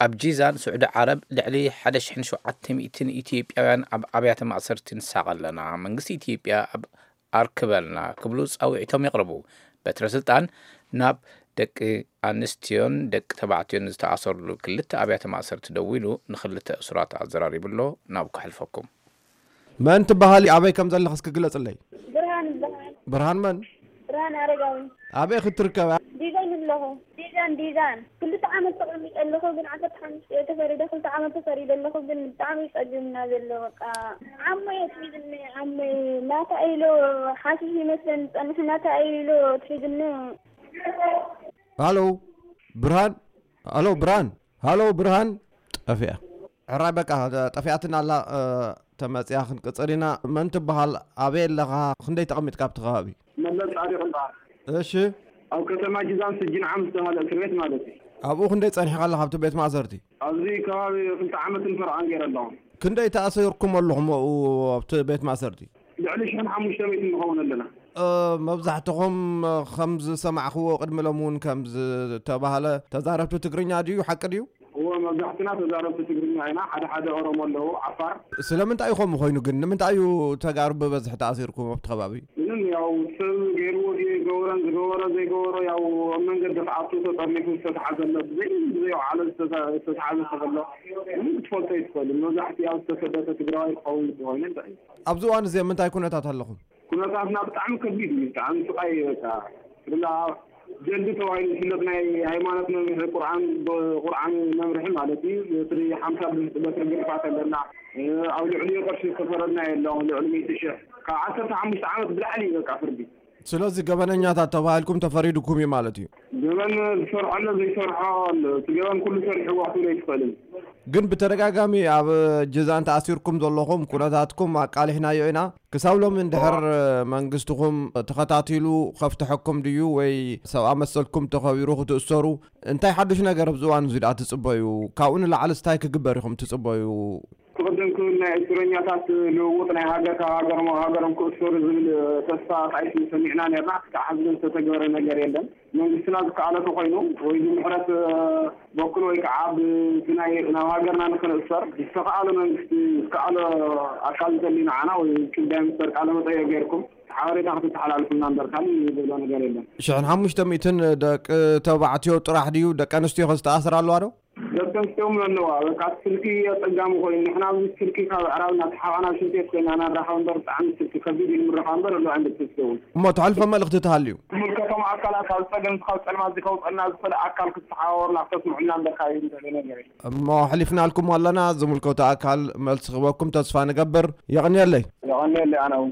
ኣብ ጂዛን ስዑዲ ዓረብ ልዕሊ ሓደ ሽሕን ሸውዓተ ሚእትን ኢትዮጵያውያን ኣብ ኣብያተ ማእሰርቲ ንሳቐ ኣለና። መንግስቲ ኢትዮጵያ ኣብ ኣርክበልና ክብሉ ጻውዒቶም የቕርቡ። በትረ ስልጣን ናብ ደቂ ኣንስትዮን ደቂ ተባዕትዮን ዝተኣሰርሉ ክልተ ኣብያተ ማእሰርቲ ደዊሉ ንክልተ እሱራት ኣዘራሪቡ ኣሎ። ናብ ከሕልፈኩም። መን ትበሃል? ኣበይ ከም ዘለኽ እስኪ ግለጽለይ። ብርሃን ይበሃል። ብርሃን መን? ብርሃን ኣረጋዊ። ኣበይ ክትርከብ? ዲዛን ኣለኹ። ዲዛን፣ ዲዛን። ክልተ ዓመት ተቐሚጠ ኣለኹ፣ ግን ዓሰርተ ሓሙሽተ እየ ተፈሪደ፣ ክልተ ዓመት ተፈሪደ ኣለኹ፣ ግን ብጣዕሚ እዩ ጸጊምና ዘሎ። በቃ ዓሞ እየ ትሒዝኒ፣ ዓሞ እየ። ናታ ኢሎ ሓሽሽ ይመስለኒ ዝጸንሕ፣ ናታ ኢሎ ትሒዝኒ። ሃሎ ብርሃን፣ ሃሎ ብርሃን፣ ሃሎ ብርሃን። ጠፊኣ። ሕራይ በቃ ጠፊኣትና ኣላ። እ፣ ተመጽያ ክንቅጽል ኢና። መን ትበሃል? ኣበይ ኣለኻ? ክንደይ ተቐሚጥካ ኣብቲ ከባቢ? መለስ ጻድቕ ይበሃል። እሺ። ኣብ ከተማ ጅዛን ስጅን ዓም ዝተባህለ እስር ቤት ማለት እዩ። ኣብኡ ክንደይ ጸኒሕካ ኣለኻ ኣብቲ ቤት ማእሰርቲ? ኣብዚ ከባቢ ክልተ ዓመትን ፈረቓን ገይረ ኣለኹ። ክንደይ ተኣሲርኩም ኣለኹም ኣብኡ ኣብቲ ቤት ማእሰርቲ? ልዕሊ ሽሕን ሓሙሽተ ሚእትን ንኸውን ኣለና። እ፣ መብዛሕትኹም ከም ዝሰማዕኽዎ ቅድሚ ሎም እውን ከም ዝተባህለ ተዛረብቲ ትግርኛ ድዩ? ሓቂ ድዩ? እወ፣ መብዛሕትና ተዛረብቲ ትግርኛ ኢና። ሓደ ሓደ ኦሮሞ ኣለዉ፣ ዓፋር። ስለምንታይ እዩ ከምኡ ኮይኑ ግን? ንምንታይ እዩ ተጋሩ ብበዝሒ ተኣሲርኩም ኣብቲ ከባቢ? ምንም፣ ያው ሰብ ገይርዎ ድዩ ገበረን ዝገበሮ ዘይገበሮ፣ ያው ኣብ መንገዲ ክኣቱ ተጠርኒፉ ዝተተሓዘ ኣሎ። ብዘይ፣ ብዘይ ዋዕሎ ዝተተ-፣ ዝተተሓዘ ሰብ ኣሎ። ምንም ክትፈልጦ ኣይትኽእልን። መብዛሕትኡ ያው ዝተሰደተ ትግራዋይ ክኸውን ግዲ ኮይኑ እንታይ እዩ? ኣብዚ እዋን እዚ ኣብ ምንታይ ኩነታት ኣለኹም? ኩነታትና ብጣዕሚ ከቢድ እዩ፣ ብጣዕሚ ስቃይ እዩ። በቃ ብላ ጀልዲ ተባሂሉ ዝፍለጥ ናይ ሃይማኖት መምርሒ ቁርኣን፣ ብ-፣ ቁርኣን መምርሒ ማለት እዩ። በትሪ ሓምሳ ብ-፣ በትሪ ግርፋት ኣለና። እ፣ ኣብ ልዕሊኡ ቅርሺ ዝተፈረድና የለን፣ ልዕሊ ሚእቲ ሽሕ። ካብ ዓሰርተ ሓሙሽተ ዓመት ብላዕሊ እዩ በቃ ፍርዲ። ስለዚ ገበነኛታት ተባሂልኩም ተፈሪድኩም እዩ ማለት እዩ? ገበን ዝሰርሖ ኣሎ፣ ዘይሰርሖ ኣሎ። እቲ ገበን ኩሉ ሰሪሕዎ ክትብሎ ኣይትኽእልን። ግን ብተደጋጋሚ ኣብ ጅዛን ተኣሲርኩም ዘለኹም ኩነታትኩም ኣቃሊሕናዮ ኢና። ክሳብ ሎሚ እንድሕር መንግስትኹም ተኸታቲሉ ከፍትሐኩም ድዩ ወይ ሰብኣ መሰልኩም ተኸቢሩ ክትእሰሩ እንታይ ሓዱሽ ነገር ኣብዚ እዋን እዚ ደኣ ትጽበዩ? ካብኡ ንላዕሊ እንታይ ክግበር ኢኹም ትጽበዩ? ክቕድም ክብል ናይ እስረኛታት ልውውጥ ናይ ሃገር ካብ ሃገሮም ኣብ ሃገሮም ክእሰሩ ዝብል ተስፋ ጣይቱ ሰሚዕና ነርና። ክሳብ ሕዚ ግን ዝተተግበረ ነገር የለን። መንግስትና ዝከኣሎ ተኾይኑ ወይ ብምሕረት በኩል ወይ ከዓ ብቲ ናይ ናብ ሃገርና ንክንእሰር ዝተኸኣሎ መንግስቲ ዝከኣሎ ኣካል እንተልዩ ንዓና ወይ ጉዳይ ሚኒስተር ቃለ መጠየቅ ገይርኩም ሓበሬታ ክትተሓላልፉልና እምበር ካልእ ዝብሎ ነገር የለን። ሽሕን ሓሙሽተ ሚእትን ደቂ ተባዕትዮ ጥራሕ ድዩ? ደቂ ኣንስትዮ ከ ዝተኣስራ ኣለዋ ዶ? ደቂ ኣንስትዮ እውን ኣለዋ። በቃ እቲ ስልኪ ኣጸጋሚ ኮይኑ ንሕና ኣብዚ ስልኪ ካብ ኣዕራብ እናተሓባእና ሽንት ቤት ኮይና እናራኸብ እምበር ብጣዕሚ ስልኪ ከቢድ እዩ ንምርኻብ እምበር ኣለዋ ደቂ ኣንስትዮ እውን። እሞ ተሕልፎ መልእኽቲ ተሃልዩ? ዝምልከቶም ኣካላት ካብ ጸገም ካብ ጸልማት ከውጸልና ዝኽእል ኣካል ክትተሓባበሩና ክተስምዑልና እምበር ካልእ ንደልዮ ነገር የለን። እሞ ኣሕሊፍናልኩም ኣለና። ዝምልከቶ ኣካል መልሲ ክህበኩም ተስፋ ንገብር። የቐንየለይ። የቐንየለይ ኣነ እውን።